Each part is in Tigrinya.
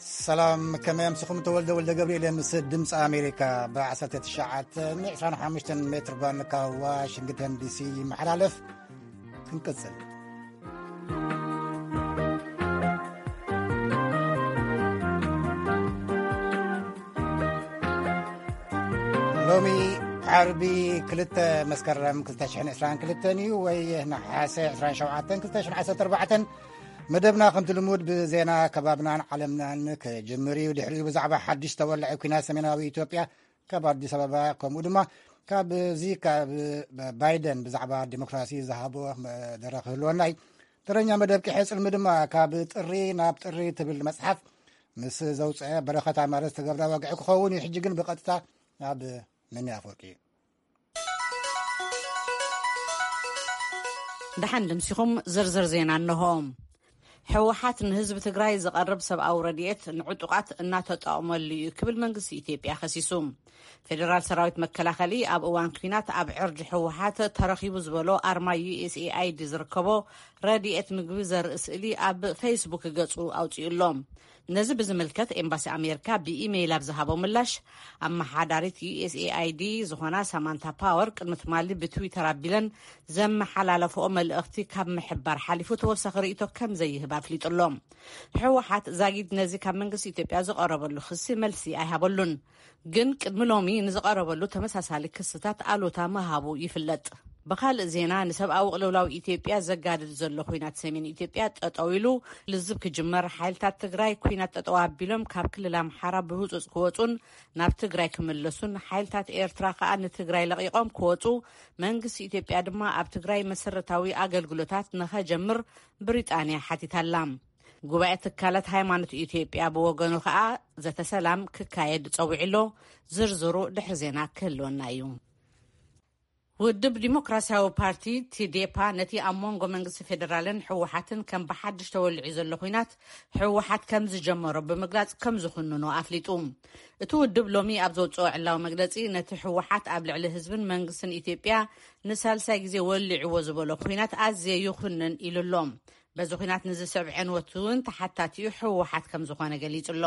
ሰላም፣ ከመይ ኣምስኹም? ተወልደ ወልደ ገብርኤል ምስ ድምፂ ኣሜሪካ ብ ዓሰርተ ትሽዓተ ን ዕስራን ሓሙሽተን ሜትር ባንድ ካብ ዋሽንግተን ዲሲ ይመሓላለፍ። ክንቅጽል። ሎሚ ዓርቢ ክልተ መስከረም ክልተ ሽሕን ዕስራን ክልተን እዩ፣ ወይ ነሓሰ ዕስራን ሸውዓተን ክልተ ሽሕን ዓሰርተ ኣርባዕተን። መደብና ከምቲ ልሙድ ብዜና ከባብናን ዓለምናን ክጅምር እዩ። ድሕሪኡ ብዛዕባ ሓድሽ ተወላዒ ኲናት ሰሜናዊ ኢትዮጵያ ካብ ኣዲስ ኣበባ፣ ከምኡ ድማ ካብዚ ካብ ባይደን ብዛዕባ ዲሞክራሲ ዝሃቦ መደረ ክህልወና እዩ። ተረኛ መደብ ቂሐ ጽልሚ ድማ ካብ ጥሪ ናብ ጥሪ ትብል መጽሓፍ ምስ ዘውፅአ በረኸት ኣማረ ዝተገብረ ወግዒ ክኸውን እዩ። ሕጂ ግን ብቐጥታ ናብ መኒ ኣፈወርቂ። ደሓን ድምሲኹም ዝርዝር ዜና እንሆ። ህወሓት ንህዝቢ ትግራይ ዝቐርብ ሰብኣዊ ረድኤት ንዕጡቓት እናተጠቐመሉ እዩ ክብል መንግስቲ ኢትዮጵያ ከሲሱ። ፌደራል ሰራዊት መከላኸሊ ኣብ እዋን ኲናት ኣብ ዕርዲ ህወሓት ተረኺቡ ዝበሎ ኣርማ ዩ ኤስ ኤ ኣይ ዲ ዝርከቦ ረድኤት ምግቢ ዘርኢ ስእሊ ኣብ ፌስቡክ ገጹ ኣውጺኡ ኣሎ። ነዚ ብዝምልከት ኤምባሲ ኣሜሪካ ብኢሜይል ኣብ ዝሃቦ ምላሽ፣ ኣመሓዳሪት ዩ ኤስ ኤ ኣይ ዲ ዝኾና ሳማንታ ፓወር ቅድሚ ትማሊ ብትዊተር ኣቢለን ዘመሓላለፈኦ መልእኽቲ ካብ ምሕባር ሓሊፉ ተወሳኺ ርእይቶ ከም ዘይህብ ኣፍሊጡ ኣሎ። ህወሓት ዛጊድ ነዚ ካብ መንግስቲ ኢትዮጵያ ዝቐረበሉ ክሲ መልሲ ኣይሃበሉን። ግን ቅድሚ ሎሚ ንዝቐረበሉ ተመሳሳሊ ክስታት ኣሉታ ምሃቡ ይፍለጥ። ብኻልእ ዜና፣ ንሰብኣዊ ቅልውላው ኢትዮጵያ ዘጋድድ ዘሎ ኲናት ሰሜን ኢትዮጵያ ጠጠው ኢሉ ልዝብ ክጅመር፣ ሓይልታት ትግራይ ኲናት ጠጠው ኣቢሎም ካብ ክልል ኣምሓራ ብህጹጽ ክወጹን ናብ ትግራይ ክምለሱን፣ ሓይልታት ኤርትራ ከኣ ንትግራይ ለቒቖም ክወጹ፣ መንግስቲ ኢትዮጵያ ድማ ኣብ ትግራይ መሰረታዊ ኣገልግሎታት ንኸጀምር ብሪጣንያ ሓቲታላ። ጉባኤ ትካላት ሃይማኖት ኢትዮጵያ ብወገኑ ከኣ ዘተ ሰላም ክካየድ ጸዊዑ ኣሎ። ዝርዝሩ ድሕሪ ዜና ክህልወና እዩ። ውድብ ዲሞክራሲያዊ ፓርቲ ቲዴፓ ነቲ ኣብ መንጎ መንግስቲ ፌዴራልን ህወሓትን ከም ብሓድሽ ተወሊዑ ዘሎ ኲናት ህወሓት ከም ዝጀመሮ ብምግላጽ ከም ዝኹንኖ ኣፍሊጡ። እቲ ውድብ ሎሚ ኣብ ዘውጽኦ ዕላዊ መግለጺ፣ ነቲ ህወሓት ኣብ ልዕሊ ህዝብን መንግስትን ኢትዮጵያ ንሳልሳይ ግዜ ወሊዕዎ ዝበሎ ኲናት ኣዝየ ይኹንን ኢሉ ኣሎ። በዚ ኲናት ንዝስዕብ ዕንወት እውን ተሓታቲኡ ህወሓት ከም ዝኾነ ገሊጹ ኣሎ።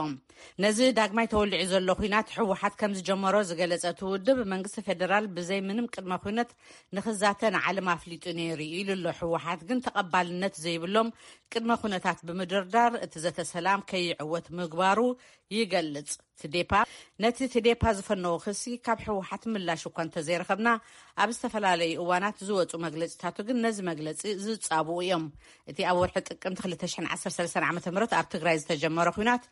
ነዚ ዳግማይ ተወሊዑ ዘሎ ኲናት ህወሓት ከም ዝጀመሮ ዝገለጸ እቲ ውድብ፣ መንግስቲ ፌደራል ብዘይ ምንም ቅድመ ኲነት ንኽዛተ ንዓለም ኣፍሊጡ ነይሩ ኢሉ ኣሎ። ህወሓት ግን ተቐባልነት ዘይብሎም ቅድመ ኩነታት ብምድርዳር እቲ ዘተ ሰላም ከይዕወት ምግባሩ ይገልጽ። ትዴፓ ነቲ ትዴፓ ዝፈነዎ ክሲ ካብ ህወሓት ምላሽ እኳ እንተዘይረኸብና፣ ኣብ ዝተፈላለዩ እዋናት ዝወጹ መግለጺታቱ ግን ነዚ መግለጺ ዝጻብኡ እዮም። እቲ ኣብ ወርሒ ጥቅምቲ ክልተ ሽሕን ዓሰርተ ሰለስተን ዓመተ ምህረት ኣብ ትግራይ ዝተጀመረ ኲናት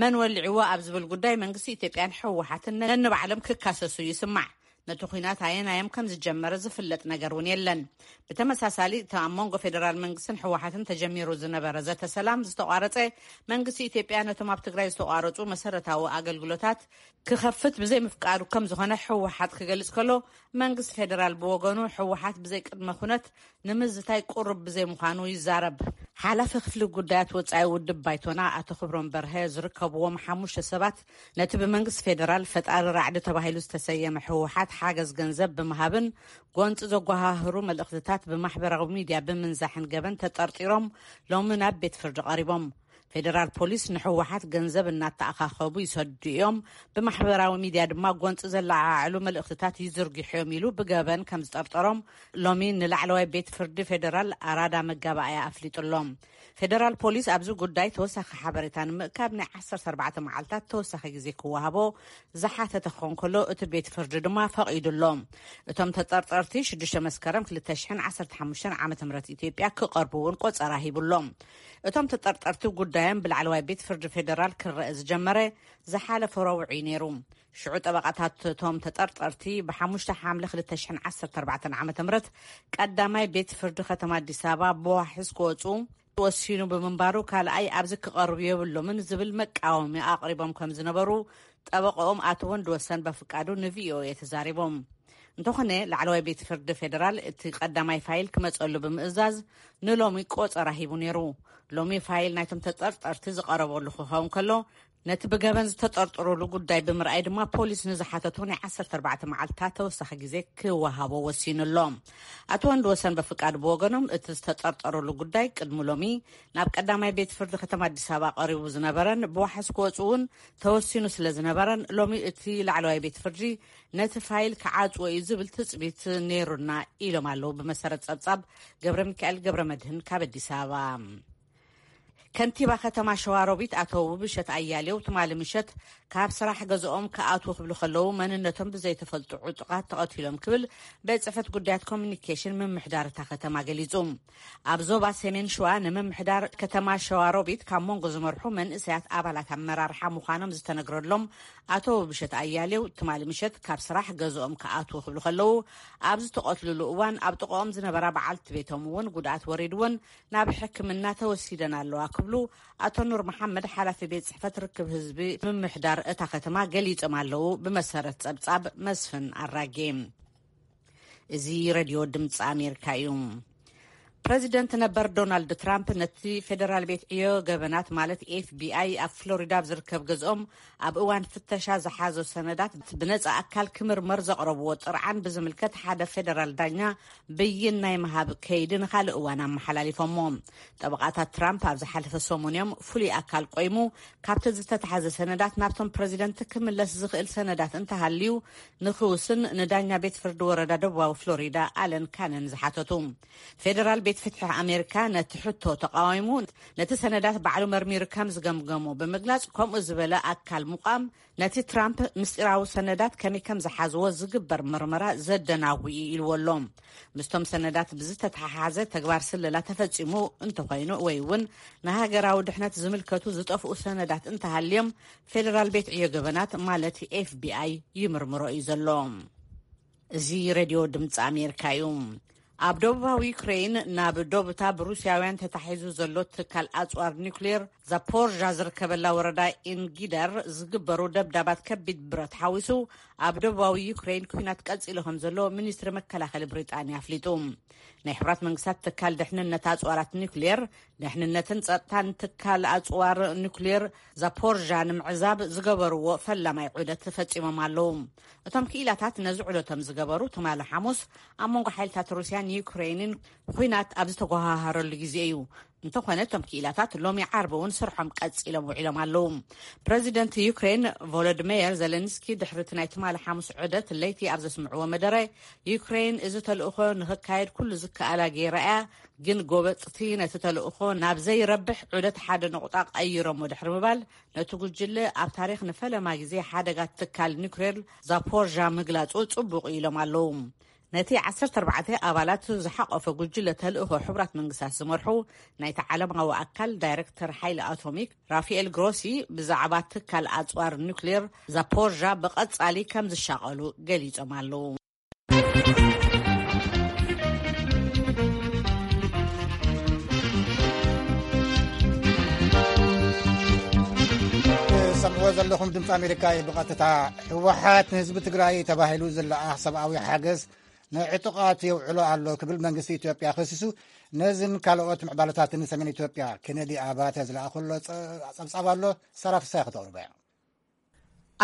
መን ወሊዕዎ ኣብ ዝብል ጉዳይ መንግስቲ ኢትዮጵያን ህወሓትን ነንባዕሎም ክካሰሱ ይስማዕ። ነቲ ኲናት ኣየናዮም ከም ዝጀመረ ዝፍለጥ ነገር እውን የለን። ብተመሳሳሊ፣ እቲ ኣብ መንጎ ፌደራል መንግስትን ህወሓትን ተጀሚሩ ዝነበረ ዘተ ሰላም ዝተቋረጸ፣ መንግስቲ ኢትዮጵያ ነቶም ኣብ ትግራይ ዝተቋረጹ መሰረታዊ ኣገልግሎታት ክኸፍት ብዘይምፍቃዱ ከም ዝኾነ ህወሓት ክገልጽ ከሎ፣ መንግስቲ ፌደራል ብወገኑ ህወሓት ብዘይ ቅድመ ኩነት ንምዝታይ ቅሩብ ብዘይምዃኑ ይዛረብ። ሓላፊ ክፍሊ ጉዳያት ወጻኢ ውድብ ባይቶና ኣቶ ክብሮም በርሀ ዝርከብዎም ሓሙሽተ ሰባት ነቲ ብመንግስቲ ፌደራል ፈጣሪ ራዕዲ ተባሂሉ ዝተሰየመ ህወሓት ሓገዝ ገንዘብ ብምሃብን ጎንፂ ዘጓሃህሩ መልእኽትታት ብማሕበራዊ ሚድያ ብምንዛሕን ገበን ተጠርጢሮም ሎሚ ናብ ቤት ፍርዲ ቀሪቦም። ፌደራል ፖሊስ ንህወሓት ገንዘብ እናተኣኻኸቡ ይሰዱ እዮም፣ ብማሕበራዊ ሚድያ ድማ ጎንፂ ዘለዓዕሉ መልእኽትታት ይዝርግሑ እዮም ኢሉ ብገበን ከም ዝጠርጠሮም ሎሚ ንላዕለዋይ ቤት ፍርዲ ፌደራል ኣራዳ መጋባእያ ኣፍሊጡ ኣሎ። ፌደራል ፖሊስ ኣብዚ ጉዳይ ተወሳኺ ሓበሬታ ንምእካብ ናይ ዓሰርተ ኣርባዕተ መዓልታት ተወሳኺ ግዜ ክወሃቦ ዝሓተተ ክኾን ከሎ፣ እቲ ቤት ፍርዲ ድማ ፈቒዱ ኣሎ። እቶም ተጠርጠርቲ ሽዱሽተ መስከረም ክልተ ሽሕን ዓሰርተ ሓሙሽተን ዓመተ ምህረት ኢትዮጵያ ክቐርቡ እውን ቆጸራ ሂቡ ኣሎ። እቶም ተጠርጠርቲ ጉዳዮም ብላዕለዋይ ቤት ፍርዲ ፌደራል ክረአ ዝጀመረ ዝሓለፈ ረቡዕ እዩ ነይሩ። ሽዑ ጠበቓታት እቶም ተጠርጠርቲ ብሓሙሽተ ሓምለ ክልተ ሽሕን ዓሰርተ ኣርባዕተን ዓመተ ምህረት ቀዳማይ ቤት ፍርዲ ከተማ ኣዲስ ኣበባ ብዋሕስ ክወፁ ወሲኑ ብምንባሩ፣ ካልኣይ ኣብዚ ክቐርቡ የብሎምን ዝብል መቃወሚ ኣቕሪቦም ከም ዝነበሩ ጠበቃኦም ኣቶ ወንድወሰን በፍቃዱ ንቪኦኤ ተዛሪቦም። እንተኾነ፣ ላዕለዋይ ቤት ፍርዲ ፌደራል እቲ ቀዳማይ ፋይል ክመጸሉ ብምእዛዝ ንሎሚ ቆጸራ ሂቡ ነይሩ። ሎሚ ፋይል ናይቶም ተጠርጠርቲ ዝቐረበሉ ክኸውን ከሎ፣ ነቲ ብገበን ዝተጠርጠሩሉ ጉዳይ ብምርኣይ ድማ፣ ፖሊስ ንዝሓተቱ ናይ ዓሰርተ ኣርባዕተ መዓልታት ተወሳኺ ግዜ ክወሃቦ ወሲኑ ኣሎ። ኣቶ ወንድ ወሰን በፍቃድ ብወገኖም፣ እቲ ዝተጠርጠሩሉ ጉዳይ ቅድሚ ሎሚ ናብ ቀዳማይ ቤት ፍርዲ ከተማ ኣዲስ ኣበባ ቀሪቡ ዝነበረን ብዋሕስ ክወፁ እውን ተወሲኑ ስለ ዝነበረን፣ ሎሚ እቲ ላዕለዋይ ቤት ፍርዲ ነቲ ፋይል ክዓጽዎ እዩ ዝብል ትጽቢት ነይሩና ኢሎም ኣለዉ። ብመሰረት ጸብጻብ ገብረ ሚካኤል ገብረ መድህን ካብ ኣዲስ ኣበባ። ከንቲባ ከተማ ሸዋሮቢት ኣቶ ውብሸት ኣያሌው ትማሊ ምሸት ካብ ስራሕ ገዝኦም ክኣትዉ ክብሉ ከለዉ፣ መንነቶም ብዘይተፈልጡ ዕጡቓት ተቐቲሎም ክብል ቤት ጽሕፈት ጉዳያት ኮሚኒኬሽን ምምሕዳር እታ ከተማ ገሊጹ። ኣብ ዞባ ሰሜን ሸዋ ንምምሕዳር ከተማ ሸዋሮቢት ካብ መንጎ ዝመርሑ መንእሰያት ኣባላት ኣመራርሓ ምዃኖም ዝተነግረሎም ኣቶ ውብሸት ኣያሌው፣ ትማሊ ምሸት ካብ ስራሕ ገዝኦም ክኣትዉ ክብሉ ከለዉ፣ ኣብ ዝተቐትልሉ እዋን ኣብ ጥቕኦም ዝነበራ በዓልቲ ቤቶም እውን ጉድኣት ወሪድወን ናብ ሕክምና ተወሲደን ኣለዋ ክብሉ ኣቶ ኑር መሓመድ፣ ሓላፊ ቤት ጽሕፈት ርክብ ህዝቢ ምምሕዳር እታ ከተማ፣ ገሊጾም ኣለዉ። ብመሰረት ጸብጻብ መስፍን ኣራጌ። እዚ ሬድዮ ድምፂ ኣሜሪካ እዩ። ፕረዚደንት ነበር ዶናልድ ትራምፕ ነቲ ፌደራል ቤት ዕዮ ገበናት፣ ማለት ኤፍቢኣይ፣ ኣብ ፍሎሪዳ ኣብ ዝርከብ ገዝኦም ኣብ እዋን ፍተሻ ዝሓዞ ሰነዳት ብነፃ ኣካል ክምርመር ዘቕረብዎ ጥርዓን ብዝምልከት ሓደ ፌደራል ዳኛ ብይን ናይ ምሃብ ከይዲ ንኻልእ እዋን ኣመሓላሊፎሞ። ጠበቓታት ትራምፕ ኣብ ዝሓለፈ ሰሙን እዮም ፍሉይ ኣካል ቆይሙ ካብቲ ዝተታሓዘ ሰነዳት ናብቶም ፕረዚደንት ክምለስ ዝኽእል ሰነዳት እንተሃልዩ ንኽውስን ንዳኛ ቤት ፍርዲ ወረዳ ደቡባዊ ፍሎሪዳ ኣለን ካነን ዝሓተቱ። ፌደራል ቤት ፍትሒ ኣሜሪካ ነቲ ሕቶ ተቃዊሙ፣ ነቲ ሰነዳት ባዕሉ መርሚሩ ከም ዝገምገሞ ብምግላጽ፣ ከምኡ ዝበለ ኣካል ምቋም ነቲ ትራምፕ ምስጢራዊ ሰነዳት ከመይ ከም ዝሓዝዎ ዝግበር ምርመራ ዘደናጉ እዩ ኢልዎ ኣሎ። ምስቶም ሰነዳት ብዝተተሓሓዘ ተግባር ስለላ ተፈጺሙ እንተኾይኑ ወይ እውን ንሃገራዊ ድሕነት ዝምልከቱ ዝጠፍኡ ሰነዳት እንተሃልዮም፣ ፌደራል ቤት ዕዮ ገበናት ማለት ኤፍቢኣይ ይምርምሮ እዩ ዘሎ። እዚ ሬድዮ ድምፂ ኣሜሪካ እዩ። ኣብ ደቡባዊ ዩክሬን ናብ ዶብታ ብሩስያውያን ተታሒዙ ዘሎ ትካል ኣፅዋር ኒውክሌር ዛፖርዣ ዝርከበላ ወረዳ ኢንጊደር ዝግበሩ ደብዳባት ከቢድ ብረት ሓዊሱ ኣብ ደቡባዊ ዩክሬን ኩናት ቀፂሉ ከም ዘሎ ሚኒስትሪ መከላኸሊ ብሪጣንያ ኣፍሊጡ። ናይ ሕብራት መንግስታት ትካል ድሕንነት ኣፅዋራት ኒውክሌር፣ ድሕንነትን ጸጥታን ትካል ኣጽዋር ኒውክሌር ዛፖርዣ ንምዕዛብ ዝገበርዎ ፈላማይ ዑደት ፈጺሞም ኣለዉ። እቶም ክኢላታት ነዚ ዑደቶም ዝገበሩ ትማሊ ሓሙስ ኣብ መንጎ ሓይልታት ሩስያን ዩክሬንን ኹናት ኣብ ዝተጓሃሃረሉ ግዜ እዩ። እንተኾነ እቶም ክኢላታት ሎሚ ዓርቢ እውን ስርሖም ቀጺሎም ውዒሎም ኣለዉ። ፕረዚደንት ዩክሬን ቮሎዲሜር ዜሌንስኪ ድሕሪ እቲ ናይ ትማሊ ሓሙስ ዑደት ለይቲ ኣብ ዘስምዕዎ መደረ፣ ዩክሬን እዚ ተልእኾ ንኽካየድ ኩሉ ዝከኣላ ገይራ እያ፣ ግን ጎበጥቲ ነቲ ተልእኾ ናብ ዘይረብሕ ዑደት ሓደ ነቑጣ ቀይሮሞ ድሕሪ ምባል፣ ነቲ ጉጅለ ኣብ ታሪኽ ንፈለማ ግዜ ሓደጋ ትካል ኒውክሌር ዛፖርዣ ምግላጹ ጽቡቕ እዩ ኢሎም ኣለዉ። ነቲ ዓሰርተ ኣርባዕተ ኣባላት ዝሓቖፈ ጉጅለ ተልእኾ ሕቡራት መንግስታት ዝመርሑ ናይቲ ዓለማዊ ኣካል ዳይሬክተር ሓይሊ ኣቶሚክ ራፋኤል ግሮሲ ብዛዕባ ትካል ኣጽዋር ኒውክሌር ዛፖርዣ ብቐጻሊ ከም ዝሻቐሉ ገሊጾም ኣለዉ። ትሰምዕዎ ዘለኹም ድምፂ ኣሜሪካ እዩ። ብቐጥታ ህወሓት ንህዝቢ ትግራይ ተባሂሉ ዝለኣኽ ሰብኣዊ ሓገዝ ንዕጡቓት የውዕሎ ኣሎ ክብል መንግስቲ ኢትዮጵያ ከሲሱ። ነዝን ካልኦት ምዕባለታትን ሰሜን ኢትዮጵያ ኬነዲ ኣባተ ዝለኣኸሎ ጸ-፣ ጸብጻብ ኣሎ። ሳራ ፍሳይ ከተቕርቦ እያ።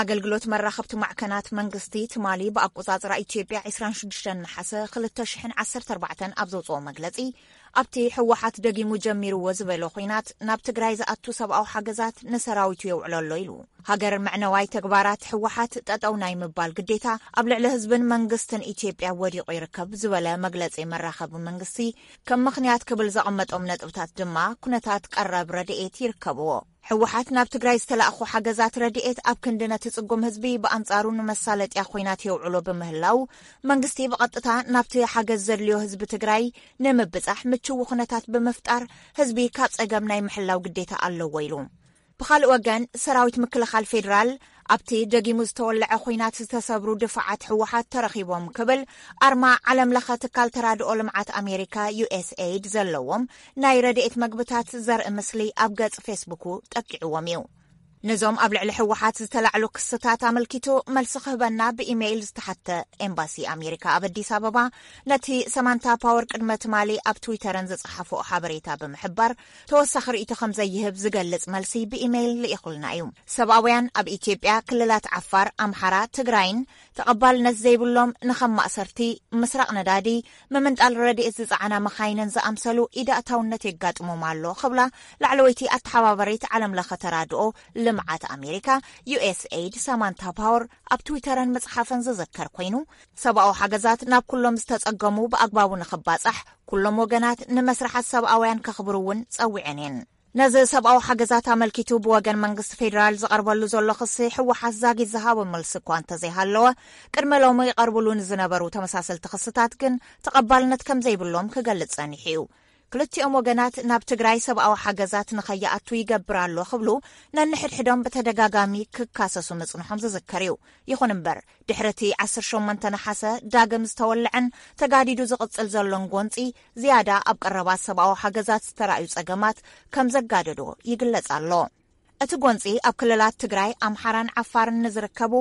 ኣገልግሎት መራኸብቲ ማዕከናት መንግስቲ ትማሊ ብኣቆጻጽራ ኢትዮጵያ ዕስራን ሽዱሽተን ነሓሰ ክልተ ሽሕን ዓሰርተ ኣርባዕተን ኣብ ዘውጽኦ መግለጺ፣ ኣብቲ ህወሓት ደጊሙ ጀሚርዎ ዝበሎ ኹናት ናብ ትግራይ ዝኣቱ ሰብኣዊ ሓገዛት ንሰራዊቱ የውዕሎ ኣሎ ኢሉ። ሃገር መዕነዋይ ተግባራት ህወሓት ጠጠው ናይ ምባል ግዴታ ኣብ ልዕሊ ህዝብን መንግስትን ኢትዮጵያ ወዲቑ ይርከብ ዝበለ መግለጺ መራኸቢ መንግስቲ፣ ከም ምኽንያት ክብል ዘቐመጦም ነጥብታት ድማ ኩነታት ቀረብ ረድኤት ይርከብዎ። ህወሓት ናብ ትግራይ ዝተላእኹ ሓገዛት ረድኤት ኣብ ክንዲ ነቲ ጽጉም ህዝቢ ብኣንጻሩ ንመሳለጥያ ኹናት የውዕሎ ብምህላው፣ መንግስቲ ብቐጥታ ናብቲ ሓገዝ ዘድልዮ ህዝቢ ትግራይ ንምብጻሕ ምችው ኩነታት ብምፍጣር ህዝቢ ካብ ጸገም ናይ ምሕላው ግዴታ ኣለዎ ኢሉ። ብኻልእ ወገን፣ ሰራዊት ምክልኻል ፌዴራል ኣብቲ ደጊሙ ዝተወለዐ ኹናት ዝተሰብሩ ድፋዓት ህወሓት ተረኺቦም ክብል ኣርማ ዓለም ለኸ ትካል ተራድኦ ልምዓት ኣሜሪካ ዩ ኤስ ኤይድ ዘለዎም ናይ ረድኤት መግብታት ዘርኢ ምስሊ ኣብ ገጽ ፌስቡኩ ጠቂዕዎም እዩ። ነዞም ኣብ ልዕሊ ህወሓት ዝተላዕሉ ክስታት ኣመልኪቱ መልሲ ክህበና ብኢሜይል ዝተሓተ ኤምባሲ ኣሜሪካ ኣብ ኣዲስ ኣበባ፣ ነቲ ሰማንታ ፓወር ቅድመ ትማሊ ኣብ ትዊተረን ዝጸሓፍኦ ሓበሬታ ብምሕባር፣ ተወሳኺ ርእይቶ ከም ዘይህብ ዝገልጽ መልሲ ብኢሜይል ልኢኹልና እዩ። ሰብኣውያን ኣብ ኢትዮጵያ ክልላት ዓፋር፣ ኣምሓራ፣ ትግራይን ተቐባልነት ዘይብሎም ንኸም ማእሰርቲ፣ ምስራቕ ነዳዲ፣ ምምንጣል ረድኤት ዝጸዓና መኻይንን ዝኣምሰሉ ኢዳእታውነት የጋጥሞም ኣሎ ክብላ ላዕለወይቲ ኣተሓባባሪት ዓለም ለኸ ተራድኦ ልምዓት ኣሜሪካ፣ ዩ ኤስ ኤይድ፣ ሳማንታ ፓወር ኣብ ትዊተረን መጽሓፈን ዝዝከር ኮይኑ፣ ሰብኣዊ ሓገዛት ናብ ኩሎም ዝተጸገሙ ብኣግባቡ ንኽባጻሕ ኩሎም ወገናት ንመስርሓት ሰብኣውያን ከኽብሩ እውን ጸዊዐን እየን። ነዚ ሰብኣዊ ሓገዛት ኣመልኪቱ ብወገን መንግስቲ ፌዴራል ዝቐርበሉ ዘሎ ክሲ፣ ህወሓት ዛጊት ዝሃቦ መልሲ እኳ እንተዘይሃለወ፣ ቅድመ ሎሚ ይቐርብሉ ንዝነበሩ ተመሳሰልቲ ክስታት ግን ተቐባልነት ከም ዘይብሎም ክገልጽ ጸኒሑ እዩ። ክልቲኦም ወገናት ናብ ትግራይ ሰብኣዊ ሓገዛት ንኸይኣቱ ይገብር ኣሎ ክብሉ ነንሕድሕዶም ብተደጋጋሚ ክካሰሱ ምጽንሖም ዝዝከር እዩ። ይኹን እምበር፣ ድሕሪ እቲ ዓሰርተ ሸሞንተ ነሓሰ ዳግም ዝተወልዐን ተጋዲዱ ዝቕጽል ዘሎን ጎንጺ፣ ዝያዳ ኣብ ቀረባት ሰብኣዊ ሓገዛት ዝተራእዩ ጸገማት ከም ዘጋደዶ ይግለጽ ኣሎ። እቲ ጎንጺ ኣብ ክልላት ትግራይ፣ ኣምሓራን ዓፋርን ንዝርከቡ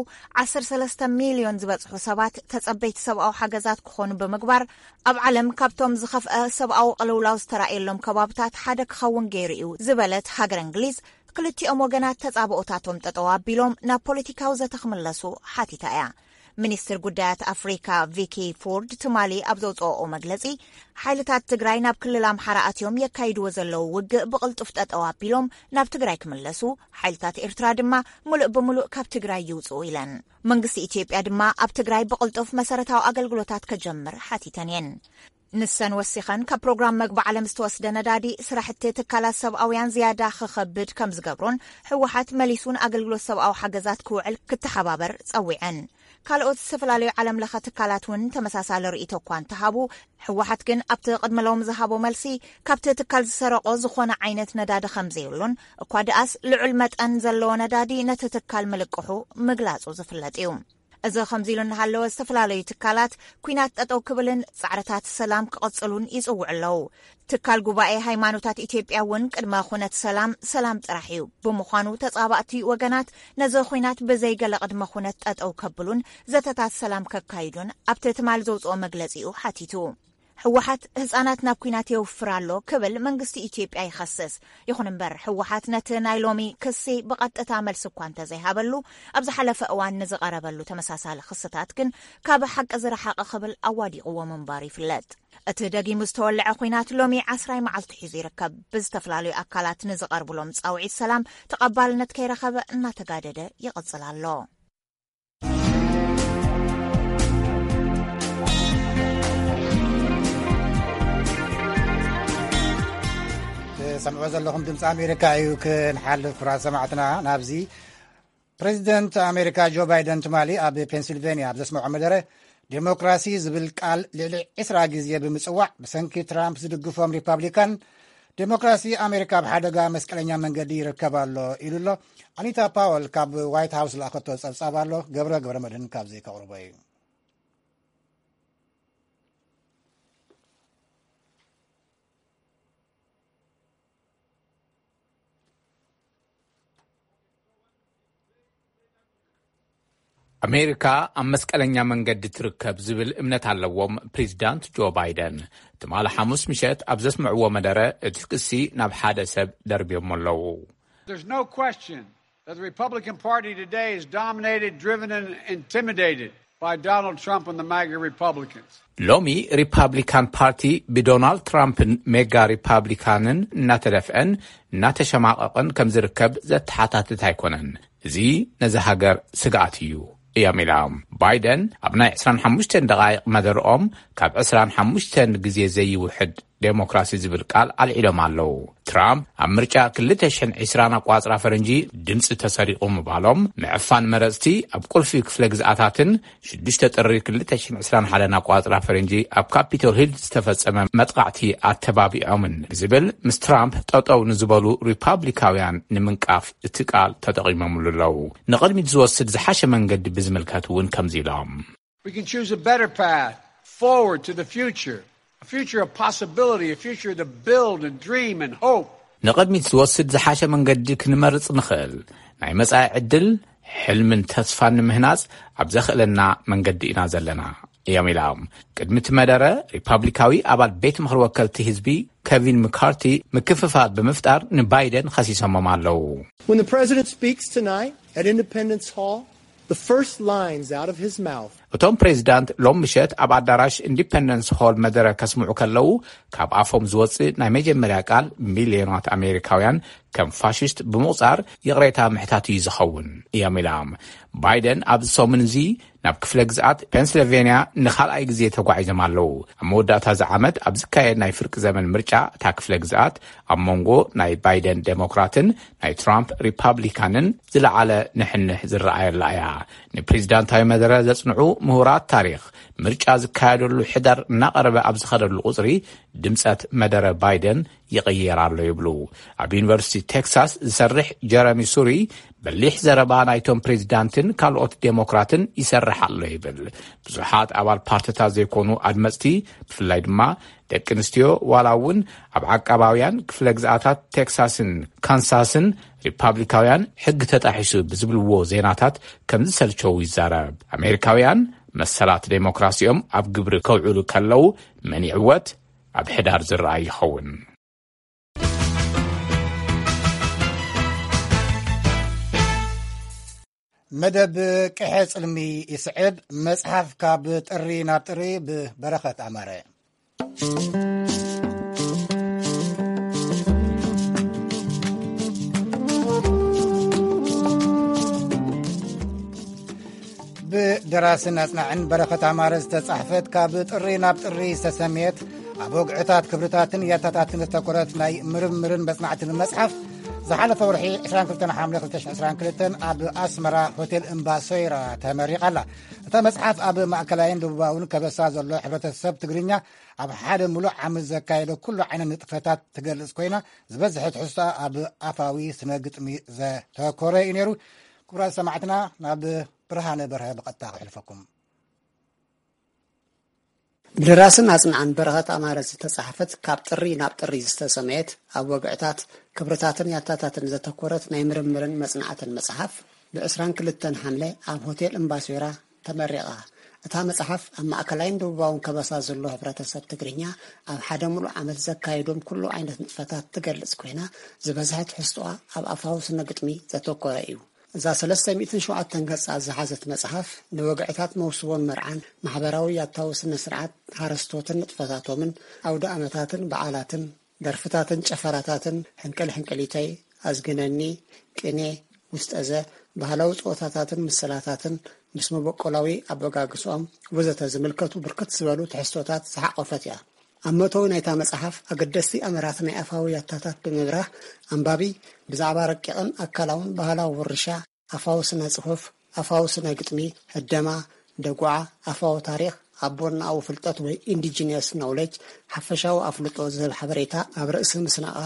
ዓሰርተ ሰለስተ ሚልዮን ዝበጽሑ ሰባት ተጸበይቲ ሰብኣዊ ሓገዛት ክኾኑ ብምግባር፣ ኣብ ዓለም ካብቶም ዝኸፍአ ሰብኣዊ ቅልውላው ዝተራእየሎም ከባብታት ሓደ ክኸውን ገይሩ እዩ ዝበለት ሃገረ እንግሊዝ፣ ክልቲኦም ወገናት ተጻብኦታቶም ጠጠው ኣቢሎም ናብ ፖለቲካዊ ዘተ ክምለሱ ሓቲታ እያ። ሚኒስትር ጉዳያት ኣፍሪካ ቪኪ ፎርድ ትማሊ ኣብ ዘውፅኦኦ መግለፂ፣ ሓይልታት ትግራይ ናብ ክልል ኣምሓራ ኣትዮም የካይድዎ ዘለዉ ውግእ ብቕልጡፍ ጠጠው ኣቢሎም ናብ ትግራይ ክምለሱ፣ ሓይልታት ኤርትራ ድማ ሙሉእ ብሙሉእ ካብ ትግራይ ይውፅኡ ኢለን። መንግስቲ ኢትዮጵያ ድማ ኣብ ትግራይ ብቕልጡፍ መሰረታዊ ኣገልግሎታት ከጀምር ሓቲተን እየን። ንሰን ወሲኸን፣ ካብ ፕሮግራም መግቢ ዓለም ዝተወስደ ነዳዲ ስራሕቲ ትካላት ሰብኣውያን ዝያዳ ክኸብድ ከም ዝገብሮን ህወሓት መሊሱ ንኣገልግሎት ሰብኣዊ ሓገዛት ክውዕል ክተሓባበር ጸዊዐን። ካልኦት ዝተፈላለዩ ዓለም ለኸ ትካላት እውን ተመሳሳሊ ርእይቶ እኳ እንተሃቡ፣ ህወሓት ግን ኣብቲ ቅድሚ ሎም ዝሃቦ መልሲ፣ ካብቲ ትካል ዝሰረቆ ዝኾነ ዓይነት ነዳዲ ከም ዘይብሉን፣ እኳ ደኣስ ልዑል መጠን ዘለዎ ነዳዲ ነቲ ትካል ምልቅሑ ምግላጹ ዝፍለጥ እዩ። እዚ ከምዚ ኢሉ እናሃለወ፣ ዝተፈላለዩ ትካላት ኲናት ጠጠው ክብልን ጻዕርታት ሰላም ክቕጽሉን ይጽውዑ ኣለዉ። ትካል ጉባኤ ሃይማኖታት ኢትዮጵያ እውን ቅድመ ኩነት ሰላም፣ ሰላም ጥራሕ እዩ። ብምዃኑ ተጻባእቲ ወገናት ነዚ ኲናት ብዘይ ገለ ቅድመ ኩነት ጠጠው ከብሉን ዘተታት ሰላም ከካይዱን ኣብቲ ትማሊ ዘውጽኦ መግለጺኡ ሓቲቱ። ህወሓት ህጻናት ናብ ኲናት የውፍር ኣሎ ክብል መንግስቲ ኢትዮጵያ ይኸስስ። ይኹን እምበር፣ ህወሓት ነቲ ናይ ሎሚ ክሲ ብቐጥታ መልሲ እኳ እንተዘይሃበሉ፣ ኣብ ዝሓለፈ እዋን ንዝቐረበሉ ተመሳሳሊ ክስታት ግን ካብ ሓቂ ዝረሓቐ ክብል ኣዋዲቕዎ ምንባሩ ይፍለጥ። እቲ ደጊሙ ዝተወልዐ ኲናት ሎሚ ዓስራይ መዓልቱ ሒዙ ይርከብ። ብዝተፈላለዩ ኣካላት ንዝቐርብሎም ጻውዒት ሰላም ተቐባልነት ከይረኸበ እናተጋደደ ይቕጽል ኣሎ። ትሰምዑ ዘለኹም ድምፂ ኣሜሪካ እዩ። ክንሓልፍ ክቡራት ሰማዕትና ናብዚ፣ ፕሬዚደንት ኣሜሪካ ጆ ባይደን ትማሊ ኣብ ፔንሲልቬንያ ኣብ ዘስምዖ መደረ፣ ዴሞክራሲ ዝብል ቃል ልዕሊ ዕስራ ግዜ ብምጽዋዕ፣ ብሰንኪ ትራምፕ ዝድግፎም ሪፓብሊካን፣ ዴሞክራሲ ኣሜሪካ ኣብ ሓደጋ መስቀለኛ መንገዲ ይርከብ ኣሎ ኢሉ ኣሎ። ኣኒታ ፓወል ካብ ዋይት ሃውስ ዝለኣኸቶ ጸብጻብ ኣሎ፣ ገብረ ገብረ መድህን ካብዚ ከቕርቦ እዩ። ኣሜሪካ ኣብ መስቀለኛ መንገዲ ትርከብ ዝብል እምነት ኣለዎም ፕሬዚዳንት ጆ ባይደን። ትማሊ ሓሙስ ምሸት ኣብ ዘስምዕዎ መደረ፣ እቲ ክሲ ናብ ሓደ ሰብ ደርብዮሞ ኣለዉ። There's no question that the Republican Party today is dominated, driven, and intimidated by Donald Trump and the MAGA Republicans. ሎሚ ሪፓብሊካን ፓርቲ ብዶናልድ ትራምፕን ሜጋ ሪፓብሊካንን እናተደፍአን እናተሸማቐቕን ከም ዝርከብ ዘተሓታትት ኣይኮነን። እዚ ነዚ ሃገር ስግኣት እዩ እዮም ኢሎም። ባይደን ኣብ ናይ ዕስራን ሓሙሽተን ደቓይቕ መደርኦም፣ ካብ ዕስራን ሓሙሽተን ግዜ ዘይውሕድ ዴሞክራሲ ዝብል ቃል ኣልዒሎም ኣለዉ። ትራምፕ ኣብ ምርጫ ክልተ ሽሕን ዕስራን ኣቋጽራ ፈረንጂ ድምፂ ተሰሪቑ ምባሎም፣ ምዕፋን መረፅቲ ኣብ ቁልፊ ክፍለ ግዝኣታትን ሽዱሽተ ጥሪ ክልተ ሽሕን ዕስራን ሓደን ኣቋጽራ ፈረንጂ ኣብ ካፒቶል ሂል ዝተፈጸመ መጥቓዕቲ ኣተባቢዖምን ብዝብል፣ ምስ ትራምፕ ጠጠው ንዝበሉ ሪፓብሊካውያን ንምንቃፍ እቲ ቃል ተጠቒሞምሉ ኣለዉ። ንቕድሚት ዝወስድ ዝሓሸ መንገዲ ብዝምልከት እውን ከምዚ ኢሎም። We can choose a better path forward to the future, a future of possibility, a future to build and dream and hope. ንቕድሚት ዝወስድ ዝሓሸ መንገዲ ክንመርጽ ንኽእል፣ ናይ መጻኢ ዕድል፣ ሕልምን ተስፋን ንምህናጽ ኣብ ዘኽእለና መንገዲ ኢና ዘለና እዮም ኢሎም። ቅድሚ እቲ መደረ፣ ሪፓብሊካዊ ኣባል ቤት ምኽሪ ወከልቲ ህዝቢ ከቪን ምካርቲ ምክፍፋል ብምፍጣር ንባይደን ኸሲሶሞም ኣለዉ። When the president speaks tonight at Independence Hall, the first lines out of his mouth እቶም ፕሬዚዳንት ሎም ምሸት ኣብ ኣዳራሽ ኢንዲፐንደንስ ሆል መደረ ከስምዑ ከለዉ፣ ካብ ኣፎም ዝወፅእ ናይ መጀመርያ ቃል፣ ሚልዮናት ኣሜሪካውያን ከም ፋሽስት ብምቑፃር ይቕሬታ ምሕታት እዩ ዝኸውን እዮም ኢሎም። ባይደን ኣብዚ ሰሙን እዚ ናብ ክፍለ ግዝኣት ፔንስልቬንያ ንኻልኣይ ግዜ ተጓዒዞም ኣለዉ። ኣብ መወዳእታ እዚ ዓመት ኣብ ዝካየድ ናይ ፍርቂ ዘመን ምርጫ እታ ክፍለ ግዝኣት ኣብ መንጎ ናይ ባይደን ዴሞክራትን ናይ ትራምፕ ሪፓብሊካንን ዝለዓለ ንሕንሕ ዝረኣየላ እያ። ንፕሬዚዳንታዊ መደረ ዘጽንዑ ምሁራት ታሪኽ፣ ምርጫ ዝካየደሉ ሕዳር እናቐረበ ኣብ ዝኸደሉ ቁጽሪ፣ ድምጸት መደረ ባይደን ይቕየር ኣሎ ይብሉ። ኣብ ዩኒቨርሲቲ ቴክሳስ ዝሰርሕ ጀረሚ ሱሪ፣ በሊሕ ዘረባ ናይቶም ፕሬዚዳንትን ካልኦት ዴሞክራትን ይሰርሕ ኣሎ ይብል። ብዙሓት ኣባል ፓርቲታት ዘይኮኑ ኣድመጽቲ፣ ብፍላይ ድማ ደቂ ኣንስትዮ፣ ዋላ እውን ኣብ ዓቃባውያን ክፍለ ግዝኣታት ቴክሳስን ካንሳስን ሪፓብሊካውያን ሕጊ ተጣሒሱ ብዝብልዎ ዜናታት ከም ዝሰልቸው ይዛረብ። ኣሜሪካውያን መሰላት ዴሞክራሲኦም ኣብ ግብሪ ከውዕሉ ከለዉ መን ይዕወት ኣብ ሕዳር ዝረኣይ ይኸውን። መደብ ቅሐ ጽልሚ ይስዕብ። መጽሓፍ ካብ ጥሪ ናብ ጥሪ ብበረኸት ኣማረ። ብደራስን ኣጽናዕን በረኸት ኣማረ ዝተጻሕፈት፣ ካብ ጥሪ ናብ ጥሪ ዝተሰምየት፣ ኣብ ወግዕታት፣ ክብርታትን ያታታትን ዝተኮረት ናይ ምርምርን መጽናዕትን መጽሓፍ፣ ዝሓለፈ ወርሒ ዕስራን ክልተን ሓምለ ክልተ ሽሕን ዕስራን ክልተን ኣብ ኣስመራ ሆቴል እምባ ሶይራ ተመሪቓ ኣላ። እታ መጽሓፍ ኣብ ማእከላይን ደቡባውን ከበሳ ዘሎ ሕብረተሰብ ትግርኛ ኣብ ሓደ ምሉእ ዓመት ዘካየዶ ኩሉ ዓይነት ንጥፈታት ትገልጽ ኮይና፣ ዝበዝሐ ትሕዝቶኣ ኣብ ኣፋዊ ስነ ግጥሚ ዘተኮረ እዩ ነይሩ። ክቡራት ሰማዕትና፣ ናብ ብርሃነ በርሀ ብቐጥታ ክሕልፈኩም። ብደራስን ኣጽናዕን በረኸት ኣማረ ዝተጻሕፈት፣ ካብ ጥሪ ናብ ጥሪ ዝተሰመየት፣ ኣብ ወግዕታት፣ ክብርታትን ያታታትን ዘተኮረት ናይ ምርምርን መጽናዕትን መጽሓፍ፣ ብዕስራን ክልተን ሓምለ ኣብ ሆቴል እምባሶይራ ተመሪቓ። እታ መጽሓፍ፣ ኣብ ማእከላይን ደቡባውን ከበሳ ዘሎ ሕብረተሰብ ትግርኛ ኣብ ሓደ ምሉእ ዓመት ዘካየዶም ኩሉ ዓይነት ንጥፈታት ትገልጽ ኮይና፣ ዝበዝሐ ትሕዝቶኣ ኣብ ኣፋዊ ስነ ግጥሚ ዘተኮረ እዩ። እዛ ሰለስተ ሚእትን ሸውዓተን ገጻት ዝሓዘት መጽሓፍ፣ ንወግዕታት መውስቦን መርዓን፣ ማሕበራዊ ያታዊ ስነ ስርዓት፣ ሓረስቶትን ንጥፈታቶምን፣ ኣውደ ኣመታትን በዓላትን፣ ደርፍታትን ጨፈራታትን፣ ሕንቅል ሕንቅሊተይ፣ ኣዝግነኒ፣ ቅኔ፣ ውስጠዘ፣ ባህላዊ ጸወታታትን ምስላታትን፣ ምስ መበቆላዊ ኣበጋግስኦም ወዘተ ዝምልከቱ ብርክት ዝበሉ ትሕዝቶታት ዝሓቖፈት እያ። ኣብ መእተዊ ናይታ መጽሓፍ፣ ኣገደስቲ ኣምራት ናይ ኣፋዊ ያታታት ብምብራህ፣ ኣንባቢ ብዛዕባ ረቂቕን ኣካላውን ባህላዊ ውርሻ፣ ኣፋዊ ስነ ጽሑፍ፣ ኣፋዊ ስነ ግጥሚ፣ ህደማ፣ ደጉዓ፣ ኣፋዊ ታሪኽ፣ ኣቦን ኣው ፍልጠት ወይ ኢንዲጂነስ ኖውለጅ፣ ሓፈሻዊ ኣፍልጦ ዝህብ ሓበሬታ ኣብ ርእሲ ምስናቓ፣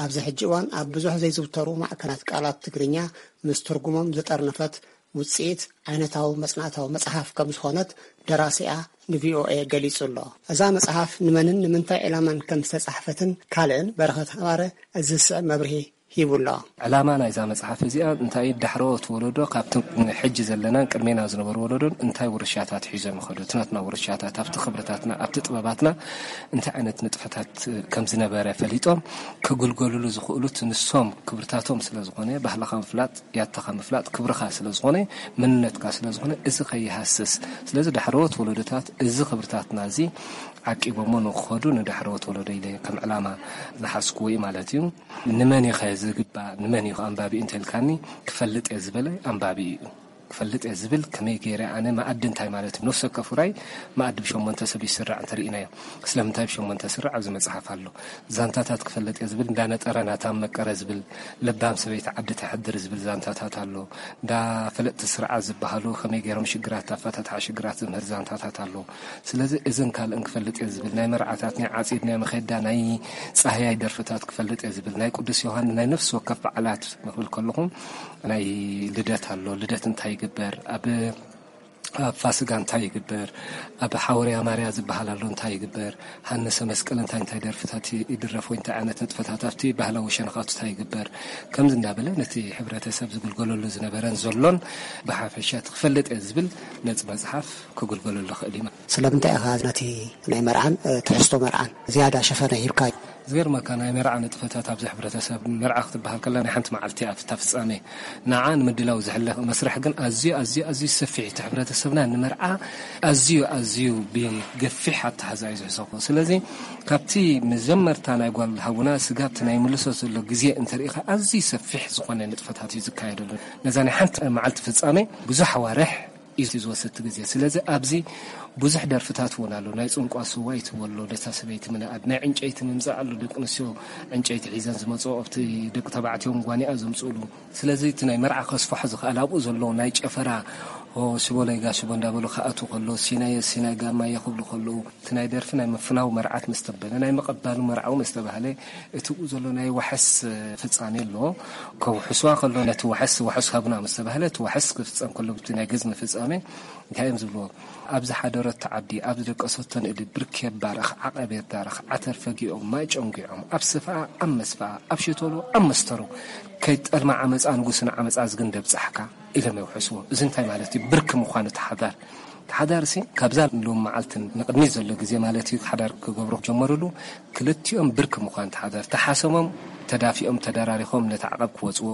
ኣብዚ ሕጂ እዋን ኣብ ብዙሕ ዘይዝውተሩ ማዕከናት ቃላት ትግርኛ ምስ ትርጉሞም ዝጠርነፈት ውጽኢት ዓይነታዊ መጽናዕታዊ መጽሓፍ ከም ዝኾነት ደራሲኣ ንቪኦኤ ገሊጹ ኣሎ። እዛ መጽሓፍ ንመንን ንምንታይ ዕላማን ከም ዝተጻሕፈትን ካልእን በረኸት ኣማረ እዚ ዝስዕብ መብርሂ ሂቡ ኣሎ። ዕላማ ናይዛ መጽሓፍ እዚኣ እንታይ እዩ? ዳሕረዎት ወለዶ ካብቲ ሕጂ ዘለናን ቅድሜና ዝነበሩ ወለዶን እንታይ ውርሻታት ሒዞም ይኸዱ? እቲ ናትና ውርሻታት ኣብቲ ክብርታትና፣ ኣብቲ ጥበባትና እንታይ ዓይነት ንጥፈታት ከም ዝነበረ ፈሊጦም ክግልገሉሉ ዝኽእሉት ንሶም ክብርታቶም ስለ ዝኾነ፣ ባህልኻ ምፍላጥ፣ ያታኻ ምፍላጥ ክብርኻ ስለ ዝኾነ፣ መንነትካ ስለ ዝኾነ፣ እዚ ከይሃስስ። ስለዚ ዳሕረዎት ወለዶታት እዚ ክብርታትና እዚ ዓቂቦሞ ንክኸዱ ንዳሕረዎት ወለዶ ኢለ ከም ዕላማ ዝሓዝኩዎ እዩ ማለት እዩ። ንመን እዩ ኸ ዝግባእ? ንመን እዩ ኸ ኣንባቢ እንተልካኒ፣ ክፈልጥ እየ ዝበለ ኣንባቢ እዩ። ክፈልጥ እየ ዝብል ከመይ ገይረ ኣነ መኣዲ እንታይ ማለት እዩ? ነፍሲ ወከፍ ውራይ መኣዲ ብሸሞንተ ሰብ ይስራዕ እንተርኢናዮ፣ ስለምንታይ ብሸሞንተ ስራዕ ኣብዚ መጽሓፍ ኣሎ። ዛንታታት ክፈልጥ እየ ዝብል እንዳነጠረ ናታም መቀረ ዝብል፣ ለባም ሰበይቲ ዓዲ ተሕድር ዝብል ዛንታታት ኣሎ። እንዳ ፈለጥቲ ስርዓት ዝበሃሉ ከመይ ገይሮም ሽግራት ኣፈታትሓ ሽግራት ዝምህር ዛንታታት ኣሎ። ስለዚ እዝን ካልእን ክፈልጥ እየ ዝብል፣ ናይ መርዓታት፣ ናይ ዓጺድ፣ ናይ መኼዳ፣ ናይ ጻህያይ ደርፍታት ክፈልጥ እየ ዝብል፣ ናይ ቅዱስ ዮሃንስ፣ ናይ ነፍሲ ወከፍ በዓላት ክብል ከለኹ፣ ናይ ልደት ኣሎ። ልደት እንታይ ይግበር? ኣብ ኣብ ፋስጋ እንታይ ይግበር፣ ኣብ ሓወርያ ማርያ ዝበሃል ኣሎ እንታይ ይግበር፣ ሃነሰ መስቀል እንታይ እንታይ ደርፍታት ይድረፍ ወይ እንታይ ዓይነት ንጥፈታት ኣብቲ ባህላዊ ሸነኻቱ እንታይ ይግበር፣ ከምዚ እንዳበለ ነቲ ሕብረተሰብ ዝግልገለሉ ዝነበረን ዘሎን ብሓፈሻ እቲ ክፈልጥ እየ ዝብል ነፂ መፅሓፍ ክግልገለሉ ይኽእል እዩ። ስለምንታይ ኢኻ ነቲ ናይ መርዓን ትሕዝቶ መርዓን ዝያዳ ሸፈነ ሂብካ? ዝገርመካ ናይ መርዓ ንጥፈታት ኣብዚ ሕብረተሰብ፣ መርዓ ክትበሃል ከላ ናይ ሓንቲ መዓልቲ እያ እታ ፍጻሜ። ንዓ ንምድላው ዝሕለ መስርሕ ግን ኣዝዩ ኣዝዩ ኣዝዩ ሰፊሕ እቲ ሕብረተሰብና ንመርዓ ኣዝዩ ኣዝዩ ብገፊሕ ኣተሓዛ እዩ ዝሕሰቦ። ስለዚ ካብቲ መጀመርታ ናይ ጓል ሃቡና ስጋብቲ ናይ ምልሶ ዘሎ ግዜ እንተሪኢኻ ኣዝዩ ሰፊሕ ዝኾነ ንጥፈታት እዩ ዝካየደሉ። ነዛ ናይ ሓንቲ መዓልቲ ፍጻሜ ብዙሕ ኣዋርሕ እዩ ዝወስድ እቲ ግዜ። ስለዚ ኣብዚ ብዙሕ ደርፍታት እውን ኣሎ። ናይ ጽንቋ ስዋ ይትወሎ፣ ነታ ሰበይቲ ምንኣድ፣ ናይ ዕንጨይቲ ምምጻእ ኣሎ። ደቂ ኣንስትዮ ዕንጨይቲ ሒዘን ዝመጽኦ ኣብቲ ደቂ ተባዕትዮም ጓኒኣ ዘምጽእሉ። ስለዚ እቲ ናይ መርዓ ከስፍሖ ዝኽእል ኣብኡ ዘሎ ናይ ጨፈራ፣ ሆ ሽቦለይ ጋሽቦ እንዳበሉ ክኣትዉ ከሎ፣ ሲናየ ሲናይ ጋማየ ክብሉ ከለዉ፣ እቲ ናይ ደርፊ ናይ ምፍናው መርዓት ምስ ተበለ፣ ናይ ምቕባሉ መርዓዊ ምስ ተባህለ፣ እቲ ብኡ ዘሎ ናይ ዋሕስ ፍጻሜ ኣሎ። ከውሕስዋ ከሎ፣ ነቲ ዋሕስ ዋሕስ ሃቡና ምስ ተባህለ፣ እቲ ዋሕስ ክፍጸም ከሎ፣ ብቲ ናይ ገዝሚ ፍጻሜ እንታይ እዮም ዝብልዎ? ኣብ ዝሓደረቶ ዓዲ፣ ኣብ ዝደቀሰቶ ንእዲ ብርክ የባርኽ፣ ዓቐብ የባርኽ፣ ዓተር ፈጊኦም፣ ማይ ጨንጊዖም፣ ኣብ ስፍኣ፣ ኣብ መስፍኣ፣ ኣብ ሸተሎ፣ ኣብ መስተሩ፣ ከይጠልማ ዓመጻ ንጉስን ዓመጻ ዝግን ደብጻሕካ ኢሎም የውሕስዎ። እዚ እንታይ ማለት እዩ? ብርክ ምዃኑ እቲ ሓዳር። እቲ ሓዳር ሲ ካብዛ ሎም መዓልትን ንቕድሚት ዘሎ ግዜ ማለት እዩ፣ ሓዳር ክገብሩ ጀመሩሉ። ክልቲኦም ብርክ ምዃን እቲ ሓዳር። ተሓሰሞም፣ ተዳፊኦም፣ ተደራሪኾም ነቲ ዓቐብ ክወጽዎ።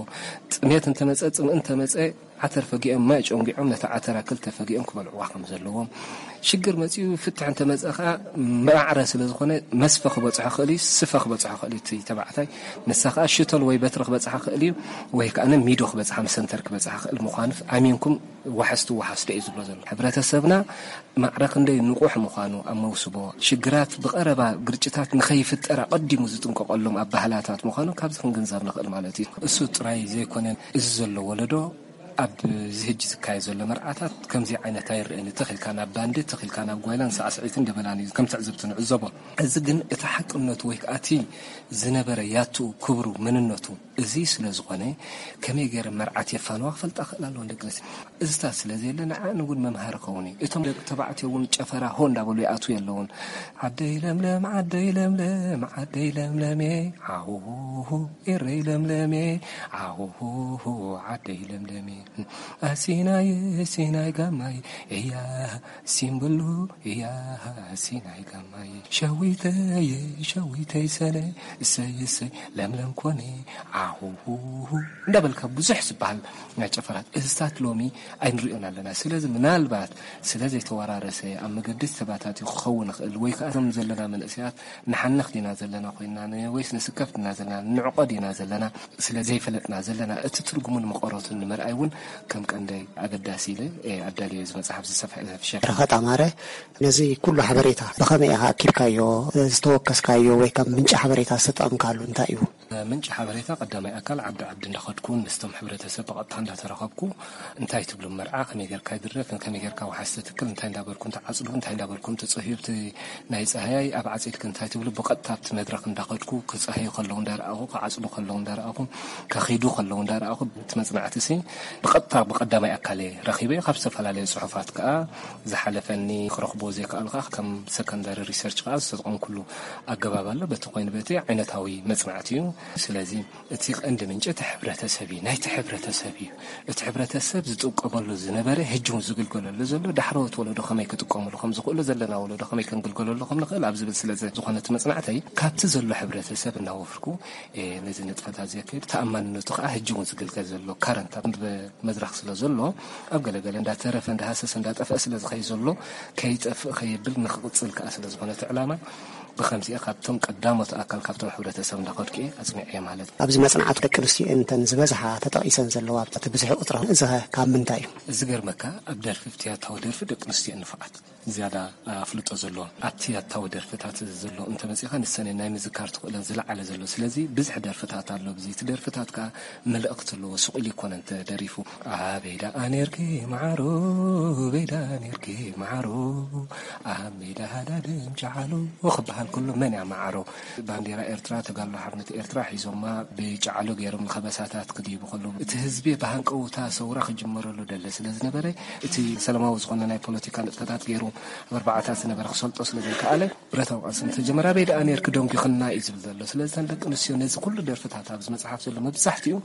ጥሜት እንተመጸ፣ ጽምእ እንተመጸ፣ ዓተር ፈጊኦም፣ ማይ ጨንጊዖም ነቲ ዓተራ ክልተ ፈጊኦም ክበልዕዋ ከም ዘለዎም። ሽግር መጺኡ ፍትሕ እንተመጸ ከኣ ማዕረ ስለ ዝኾነ መስፈ ክበጽሖ ክእል እዩ፣ ስፈ ክበጽሖ ክእል እዩ። እቲ ተባዕታይ ንሳ ከኣ ሽቶል ወይ በትሪ ክበጽሓ ክእል እዩ፣ ወይ ከኣ ሚዶ ክበጽሓ፣ መሰንተር ክበጽሓ ክእል ምዃኑ ኣሚንኩም ዋሕስ ትወሓስ ዶ እዩ ዝብሎ ዘሎ። ሕብረተሰብና ማዕረ ክንደይ ንቑሕ ምዃኑ ኣብ መውስቦ፣ ሽግራት ብቐረባ ግርጭታት ንኸይፍጠር ኣቐዲሙ ዝጥንቀቐሎም ኣባህላታት ምዃኑ ካብዚ ክንግንዘብ ንኽእል ማለት እዩ። እሱ ጥራይ ዘይኮነ፣ እዚ ዘሎ ወለዶ ኣብዚ ሕጂ ዝካየድ ዘሎ መርዓታት ከምዚ ዓይነት ኣይረአን። ተኺልካ ናብ ባንዲ፣ ተኺልካ ናብ ጓይላን ሳዕስዒትን ደበላን እዩ ከም ትዕዝብቲ ንዕዘቦ። እዚ ግን እቲ ሓቅነቱ ወይ ከኣ እቲ ዝነበረ ያቱ ክብሩ መንነቱ እዚ ስለ ዝኾነ ከመይ ገይረ መርዓት የፋንዋ ክፈልጣ ክእል ኣለዎ ደቂ ኣንስትዮ። እዚታት ስለ ዘየለ ንዓን እውን መምሃሪ ኸውን እዩ። እቶም ደቂ ተባዕትዮ እውን ጨፈራ ሆ እንዳበሉ ይኣትዉ የለውን። ዓደይ ለምለም ዓደይ ለምለም ዓደይ ለምለሜ ዓውሁ ኤረይ ለምለሜ ዓውሁ ዓደይ ለምለሜ ኣሲናይ ሲናይ ጋማይ እያ ሲምብሉ እያ ሲናይ ጋማይ ሸዊተይ ሸዊተይ ሰለ እሰይ እሰይ ለምለም ኮነ ዓሁሁሁ እንዳበልካ ብዙሕ ዝበሃል ናይ ጨፈራት እዝታት ሎሚ ኣይንሪኦን ኣለና። ስለዚ ምናልባት ስለ ዘይተወራረሰ ኣብ መገዲ ተባታትዩ ክኸውን ይኽእል፣ ወይ ከዓ እዞም ዘለና መንእሰያት ንሓንኽ ዲና ዘለና ኮይና፣ ን-፣ ወይስ ንስከፍ ዲና ዘለና፣ ንዕቆ ዲና ዘለና፣ ስለ ዘይፈለጥና ዘለና፣ እቲ ትርጉሙን መቐረቱን ንምርኣይ እውን ከም ቀንደይ ኣገዳሲ ኢለ፣ እ፣ ኣዳልዮ እዚ መጽሓፍ ዝሰፍሐ፣ ዝሰፍሸ። ረኸት ኣማረ፣ ነዚ ኩሉ ሓበሬታ ብኸመይ ኢኻ ኣኪብካዮ? ዝተወከስካዮ ወይ ካብ ምንጪ ሓበሬታ ዝተጠቐምካሉ እንታይ እዩ? ምንጪ ሓበሬታ ቀዳማይ ኣካል ዓዲ ዓዲ እንዳኸድኩ ምስቶም ሕብረተሰብ ብቐጥታ እንዳተራኸብኩ እንታይ ትብሉ መርዓ፣ ከመይ ጌርካ ይድረፍ፣ ከመይ ጌርካ ወሓስ ትትክል፣ እንታይ እንዳበልኩም ትዓጽዱ፣ እንታይ እንዳበልኩም ትጸህዩ፣ እቲ ናይ ጸሃያይ ኣብ ዓጺድክ እንታይ ትብሉ፣ ብቐጥታ ኣብቲ መድረኽ እንዳኸድኩ ክጸህዩ ከለዉ እንዳረኣኹ፣ ክዓጽዱ ከለዉ እንዳረኣኹ፣ ከኺዱ ከለዉ እንዳረኣኹ፣ እቲ መጽናዕቲ ሲ ብቐጥታ ብቐዳማይ ኣካል እየ ረኺበዮ። ካብ ዝተፈላለዩ ጽሑፋት ከኣ ዝሓለፈኒ ክረኽቦ ዘይከኣልካ ከም ሰከንዳሪ ሪሰርች ከኣ ዝተጠቐምኩሉ ኣገባብ ኣሎ። በቲ ኮይኑ በቲ ዓይነታዊ መጽናዕቲ እዩ። ስለዚ እቲ ቀንዲ ምንጪ እቲ ሕብረተሰብ እዩ፣ ናይቲ ሕብረተሰብ እዩ። እቲ ሕብረተሰብ ዝጥቀመሉ ዝነበረ፣ ሕጂ እውን ዝግልገለሉ ዘሎ፣ ዳሕረዎት ወለዶ ከመይ ክጥቀምሉ ከም ዝኽእሉ፣ ዘለና ወለዶ ከመይ ክንግልገለሉ ከም ንኽእል ኣብ ዝብል ስለ ዝኾነ እቲ መጽናዕተይ፣ ካብቲ ዘሎ ሕብረተሰብ እናወፍርኩ፣ እ፣ ነዚ ንጥፈታት ዘካይድ፣ ተኣማንነቱ ከዓ ሕጂ እውን ዝግልገል ዘሎ ካረንት ኣብ መድረኽ ስለ ዘሎ፣ ኣብ ገለገለ እንዳተረፈ፣ እንዳሃሰሰ፣ እንዳጠፍአ ስለ ዝኸይ ዘሎ፣ ከይጠፍእ ከየብል ንክቕጽል ከዓ ስለ ዝኾነ እቲ ዕላማ፣ ብኸምዚኣ ካብቶም ቀዳሞት ኣካል ካብቶም ሕብረተሰብ እንዳኸድኩ እየ ኣጽኒዐዮ ማለት እዩ። ኣብዚ መጽናዕት ደቂ ኣንስትዮ እንተን ዝበዝሓ ተጠቒሰን ዘለዋ ኣብቲ ብዙሕ ቁጽሪ፣ እዚ ኸ ካብ ምንታይ እዩ? እዚ ገርመካ ኣብ ደርፊ፣ ብትያታዊ ደርፊ ደቂ ኣንስትዮ ንፉዓት። ዝያዳ ኣፍልጦ ዘለዎ ኣብቲ ኣታዊ ደርፍታት ዘሎ እንተመጺኻ ንሰን ናይ ምዝካር ትኽእለን ዝለዓለ ዘሎ። ስለዚ ብዙሕ ደርፍታት ኣሎ። ብዚ እቲ ደርፍታት ከኣ መልእኽቲ ኣለዎ። ስቕ ኢሉ ይኮነን ተደሪፉ። ኣበይ ደኣ ኔርኪ መዓሮ፣ ኣበይ ደኣ ኔርኪ መዓሮ፣ ኣብ ሜዳ ሃዳድም ጨዓሎ ክበሃል ከሎ መን እያ መዓሮ? ባንዴራ ኤርትራ፣ ተጋድሎ ሓርነት ኤርትራ ሒዞማ ብጨዓሎ ገይሮም ንኸበሳታት ክድይቡ ከለዉ፣ እቲ ህዝቢ ብሃንቀውታ ሰውራ ክጅመረሉ ደለ ስለ ዝነበረ፣ እቲ ሰላማዊ ዝኾነ ናይ ፖለቲካ ንጥፈታት ገይሩ ኣብ ኣርባዓታት ዝነበረ ክሰልጦ ስለ ዘይከኣለ፣ ብረታዊ ቃልሲ እንተጀመረ ኣበይ ደኣ ኔርኪ ደንጒኽና እዩ ዝብል ዘሎ። ስለዚ እተን ደቂ ኣንስትዮ ነዚ ኩሉ ደርፍታት ኣብዚ መጽሓፍ ዘሎ መብዛሕትኡ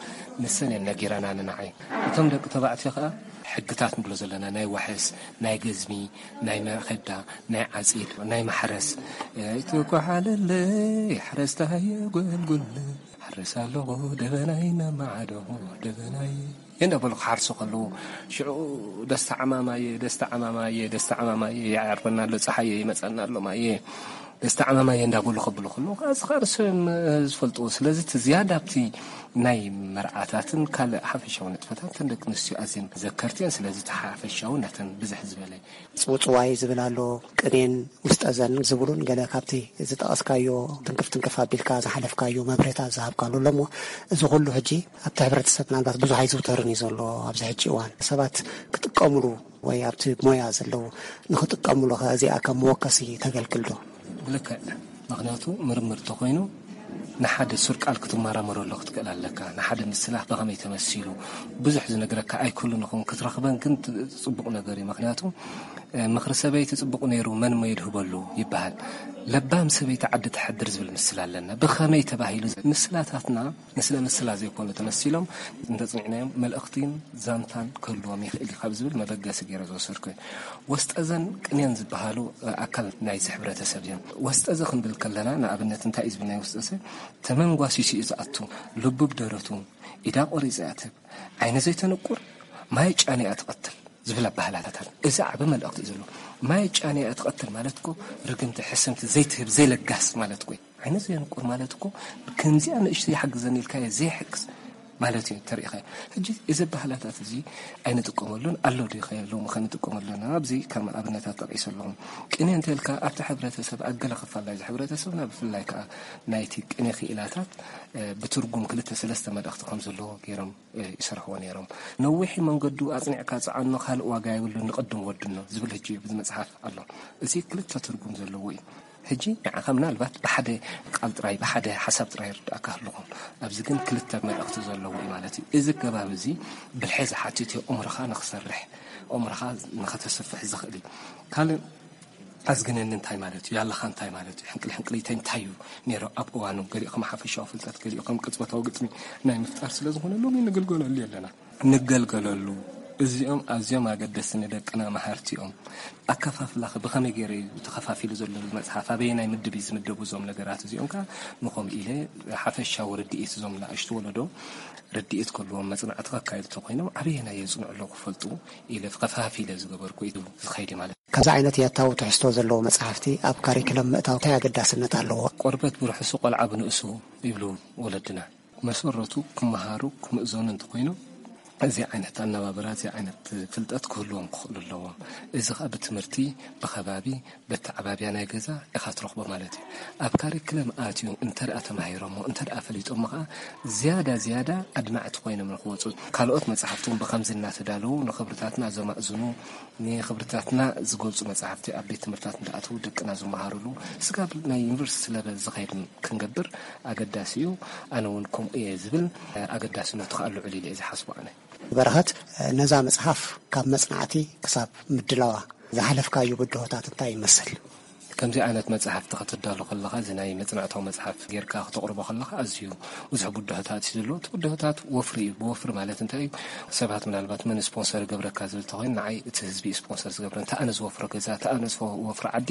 ንሰን እየን ነጊረናኒ ንዓይ። እቶም ደቂ ተባዕትዮ ከኣ ሕግታት ንብሎ ዘለና ናይ ዋሕስ፣ ናይ ገዝሚ፣ ናይ መኸዳ፣ ናይ ዓጺድ፣ ናይ ማሕረስ፣ ኣይትኳሓለለይ ሓረስታይ ጎልጉል፣ ሓርስ ኣለኹ ደበናይ እናማዓደኹ ደበናይ እንዳበሉ ክሓርሱ ከለዉ፣ ሽዑ ደስታ ዓማማየ፣ ደስታ ዓማማየ፣ ደስታ ዓማማየ፣ ይዓርበና ኣሎ ጸሓየ፣ ይመጸና ኣሎ ማየ፣ ደስታ ዓማማየ እንዳበሉ ከብሉ ከለዉ፣ ከኣ እዚ ከኣ ንሶም ዝፈልጥዎ። ስለዚ እቲ ዝያዳ ኣብቲ ናይ መርዓታትን ካልእ ሓፈሻዊ ንጥፈታት እተን ደቂ ኣንስትዮ ኣዝየን ዘከርቲ እየን። ስለዚ እቲ ሓፈሻዊ ናተን ብዝሕ ዝበለ ጽውጽዋይ ዝብል ኣሎ፣ ቅኔን ውስጠ ዘን ዝብሉን ገለ ካብቲ ዝጠቐስካዮ ትንክፍ ትንክፍ ኣቢልካ ዝሓለፍካዮ መብርህታት ዝሃብካሉ ኣሎ እሞ፣ እዚ ኩሉ ሕጂ ኣብቲ ሕብረተሰብ ምናልባት ብዙሕ ኣይዝውተርን እዩ ዘሎ። ኣብዚ ሕጂ እዋን ሰባት ክጥቀምሉ ወይ ኣብቲ ሞያ ዘለዉ ንኽጥቀምሉ ከ እዚኣ ከም መወከሲ ተገልግል ዶ? ብልክዕ። ምኽንያቱ ምርምር እንተኾይኑ ንሓደ ሱር ቃል ክትመራመረሉ ክትክእል ኣለካ። ንሓደ ምስላ ብኸመይ ተመሲሉ፣ ብዙሕ ዝነግረካ ኣይክእሉን ይኸውን። ክትረኽበን ግን ት-፣ ጽቡቕ ነገር እዩ። ምኽንያቱ፣ እ፣ ምኽሪ ሰበይቲ ጽቡቕ ነይሩ፣ መን እሞ የድህበሉ ይበሃል። ለባም ሰበይቲ ዓዲ ተሕድር ዝብል ምስላ ኣለና። ብኸመይ ተባሂሉ? ምስላታትና ንስለ ምስላ ዘይኮኑ ተመሲሎም እንተጽኒዕናዮም፣ መልእኽቲን ዛንታን ክህልዎም ይኽእል እዩ ካብ ዝብል መበገሲ ገይረ ዝወሰድኩ እየ። ወስጠዘን ቅኔን ዝበሃሉ ኣካል ናይዚ ሕብረተሰብ እዮም። ወስጠዘ ክንብል ከለና፣ ንኣብነት እንታይ እዩ ዝብል ናይ ወስጠዘ? ተመንጓሲሱ እዩ ዝኣቱ፣ ልቡ ብደረቱ፣ ኢዳ ቆሪጹ ይኣትብ፣ ዓይኒ ዘይተንቁር፣ ማይ ጫን እያ ትቐትል ዝብል ኣበሃህላታት ኣሎ። እዚ ዓቢ መልእኽቲ እዩ ዘለዎ። ማይ ጫን እያ ትቐትል ማለት እኮ ርግምቲ፣ ሕስምቲ ዘይትህብ፣ ዘይለጋስ ማለት እኮ እዩ። ዓይኒ ዘየንቁር ማለት እኮ፣ ከምዚኣ ንእሽቶ ይሓግዘኒ ኢልካዮ ዘይሕግዝ ማለት እዩ፣ ተሪኢኻዮ። ሕጂ እዚ ኣበሃህላታት እዚ ኣይንጥቀመሉን፣ ኣሎ ዶ ይኸ የለውም ከ ንጥቀመሉ ኣለና። ኣብዚ ከም ኣብነታት ጠቒሰ ኣለኹም። ቅኔ እንተ ኢልካ ኣብቲ ሕብረተሰብ፣ ኣብ ገለ ክፋል ናይዚ ሕብረተሰብና፣ ብፍላይ ከኣ ናይቲ ቅኔ ክኢላታት፣ እ፣ ብትርጉም ክልተ ሰለስተ መልእኽቲ ከም ዘለዎ ገይሮም፣ እ፣ ይሰርሕዎ ነይሮም። ነዊሕ መንገዱ ኣጽኒዕካ ጽዓኖ፣ ካልእ ዋጋ የብሉን፣ ንቐድም ወድኖ ዝብል ሕጂ ኣብዚ መጽሓፍ ኣሎ። እዚ ክልተ ትርጉም ዘለዎ እዩ። ሕጂ ንዓኻ ምናልባት ብሓደ ቃል ጥራይ፣ ብሓደ ሓሳብ ጥራይ ይርድኣካ ህልኹም። ኣብዚ ግን ክልተ መልእኽቲ ዘለዎ እዩ ማለት እዩ። እዚ ኣገባብ እዚ ብልሒ ዝሓትት እዩ፣ እምሮኻ ንኽሰርሕ፣ እምሮኻ ንኸተስፍሕ ዝኽእል እዩ። ካልእ ኣዝግነኒ እንታይ ማለት እዩ? ያለኻ እንታይ ማለት እዩ? ሕንቅል ሕንቅሊተይ እንታይ እዩ ነይሩ ኣብ እዋኑ? ገሊኡ ከም ሓፈሻዊ ፍልጠት፣ ገሊኡ ከም ቅጽበታዊ ግጥሚ ናይ ምፍጣር ስለ ዝኾነ ሎሚ ንግልገለሉ ኣለና። ንገልገለሉ። እዚኦም ኣዝዮም ኣገደስቲ፣ ንደቅና መሃርቲ እዮም። ኣከፋፍላኸ ብኸመይ ገይሩ እዩ ተኸፋፊሉ ዘሎ መጽሓፍ? ኣበየናይ ምድብ እዩ ዝምደቡ እዞም ነገራት እዚኦም ከኣ ንኸምኡ ኢለ ሓፈሻዊ ርድኢት እዞም ንኣሽቱ ወለዶ ርድኢት ከልዎም መጽናዕቲ ከካየዱ እንተኾይኖም ኣበየናይ የጽንዑ ኣለዉ ክፈልጡ ኢለ ከፋፊለ ዝገበርኩ እዩ ዝኸይድ ማለት። ከምዚ ዓይነት ያታዊ ትሕዝቶ ዘለዎ መጽሓፍቲ ኣብ ካሪክለም ምእታው እንታይ ኣገዳስነት ኣለዎ? ቆርበት ብርሑሱ ቆልዓ ብንእሱ ይብሉ ወለድና። መሰረቱ ክመሃሩ ክምእዘኑ እንተኾይኑ እዚ ዓይነት ኣነባብራ፣ እዚ ዓይነት ፍልጠት ክህልዎም ክኽእሉ ኣለዎም። እዚ ኸኣ ብትምህርቲ፣ ብኸባቢ፣ በተዓባብያ ናይ ገዛ ኢኻ ትረኽቦ ማለት እዩ። ኣብ ካሪክለም ኣትዩ እንተ ደኣ ተማሂሮሞ፣ እንተ ደኣ ፈሊጦሞ ኸኣ ዝያዳ ዝያዳ ኣድማዕቲ ኮይኖም ንኽወጹ፣ ካልኦት መጻሕፍቲ እውን ብኸምዚ እናተዳለዉ ንኽብርታትና ዘማእዝኑ፣ ንኽብርታትና ዝገልጹ መጻሕፍቲ ኣብ ቤት ትምህርታት እንዳኣተዉ ደቅና ዝመሃሩሉ፣ ስጋብ ናይ ዩኒቨርሲቲ ለቨል ዝኸይድ ክንገብር ኣገዳሲ እዩ። ኣነ እውን ከምኡ እየ ዝብል፣ ኣገዳስነቱ ከኣ ልዑል ኢለ እየ ዝሓስቦ ኣነ። በረኸት፣ ነዛ መጽሓፍ ካብ መጽናዕቲ ክሳብ ምድላዋ ዝሓለፍካዮ ብድሆታት እንታይ ይመስል? ከምዚ ዓይነት መጽሓፍቲ ከተዳሉ ከለኻ፣ እዚ ናይ መጽናዕታዊ መጽሓፍ ጌርካ ክተቕርቦ ከለኻ፣ ኣዝዩ ብዙሕ ብድሆታት እዩ ዘለዎ። እቲ ብድሆታት ወፍሪ እዩ። ብወፍሪ ማለት እንታይ እዩ? ሰባት ምናልባት መን ስፖንሰር ይገብረካ ዝብል እንተኾይኑ፣ ንዓይ እቲ ህዝቢ እዩ ስፖንሰር ዝገብረኒ። እቲ ኣነ ዝወፍሮ ገዛ፣ እቲ ኣነ ዝወፍሮ ዓዲ፣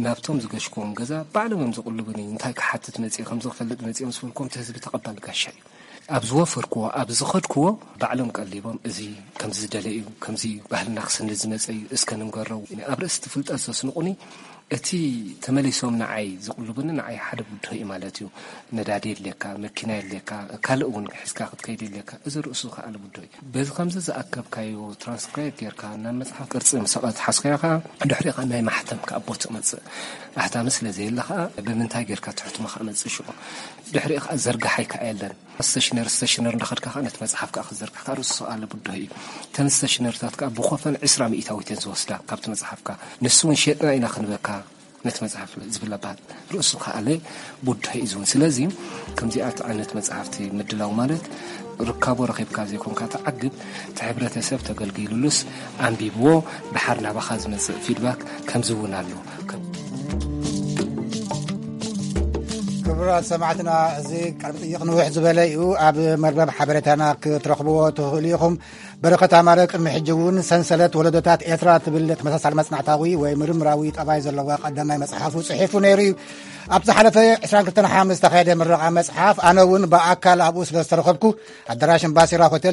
ናብቶም ዝገሽክዎም ገዛ ባዕሎም እዮም ዝቕልቡኒ። እንታይ ክሓትት መጽየ፣ ከምዚ ክፈልጥ መጽየ ምስ በልክዎም፣ እቲ ህዝቢ ተቐባሊ ጋሻ እዩ። ኣብ ዝወፈርክዎ፣ ኣብ ዝኸድክዎ ባዕሎም ቀሊቦም፣ እዚ ከምዚ ዝደለ እዩ፣ ከምዚ ባህልና ክስንድ ዝመጸ እዩ፣ እስከ ንንገሮ። ኣብ ርእሲ እቲ ፍልጠት ዘስንቑኒ እቲ ተመሊሶም ንዓይ ዝቕልቡኒ፣ ንዓይ ሓደ ብድሆ እዩ ማለት እዩ። ነዳዲ የድልየካ፣ መኪና የድልየካ፣ ካልእ እውን ሒዝካ ክትከይድ የድልየካ። እዚ ርእሱ ከኣለ ብድሆ እዩ። በዚ ከምዚ ዝኣከብካዮ ትራንስክራይብ ጌርካ ናብ መጽሓፍ ቅርጺ ምስ ኣትሓዝካዮ ከኣ፣ ድሕሪኡ ከኣ ናይ ማሕተም ከኣ ቦ ትመጽእ። ኣሕታሚ ስለ ዘየለ ከኣ፣ ብምንታይ ጌርካ ትሕትሞ ከኣ መጽእ ሽዑ። ድሕሪኡ ከኣ ዘርጋሓይ ከኣ የለን። ስቴሽነር፣ ስቴሽነር እንዳኸድካ ከኣ ነቲ መጽሓፍ ከኣ ክትዘርግሕ ከኣ ርእሱ ከኣለ ብድሆ እዩ። እተን ስቴሽነርታት ከኣ ብኮፈን ዕስራ ሚእታዊት እየን ዝወስዳ ካብቲ መጽሓፍካ። ንሱ እውን ሸጥና ኢና ክንበካ ነቲ መጽሓፍ ዝብል ኣባል ርእሱ ከኣለ ቡድሀ እዩ ዝውን። ስለዚ ከምዚኣት ዓይነት መጽሓፍቲ ምድላው ማለት ርካቦ ረኺብካ ዘይኮንካ ትዓግብ፣ እቲ ሕብረተሰብ ተገልጊሉሉስ ኣንቢብዎ፣ ደሓር ናባኻ ዝመጽእ ፊድባክ ከምዚ እውን ኣሎ። ከም ክቡራት ሰማዕትና፣ እዚ ቃለ መጠይቕ ንውሕ ዝበለ እዩ። ኣብ መርበብ ሓበሬታና ክትረኽብዎ ትኽእሉ ኢኹም። በረኸት ኣማረ ቅድሚ ሕጂ እውን ሰንሰለት ወለዶታት ኤርትራ ትብል ተመሳሳሊ መጽናዕታዊ ወይ ምርምራዊ ጠባይ ዘለዋ ቀዳማይ መጽሓፉ ጽሒፉ ነይሩ እዩ። ኣብ ዝሓለፈ ዕስራን ክልተን ሓምስ ዝተኻየደ ምረቓ መጽሓፍ ኣነ እውን ብኣካል ኣብኡ ስለ ዝተረኸብኩ፣ ኣዳራሽ እምባሲራ ሆቴል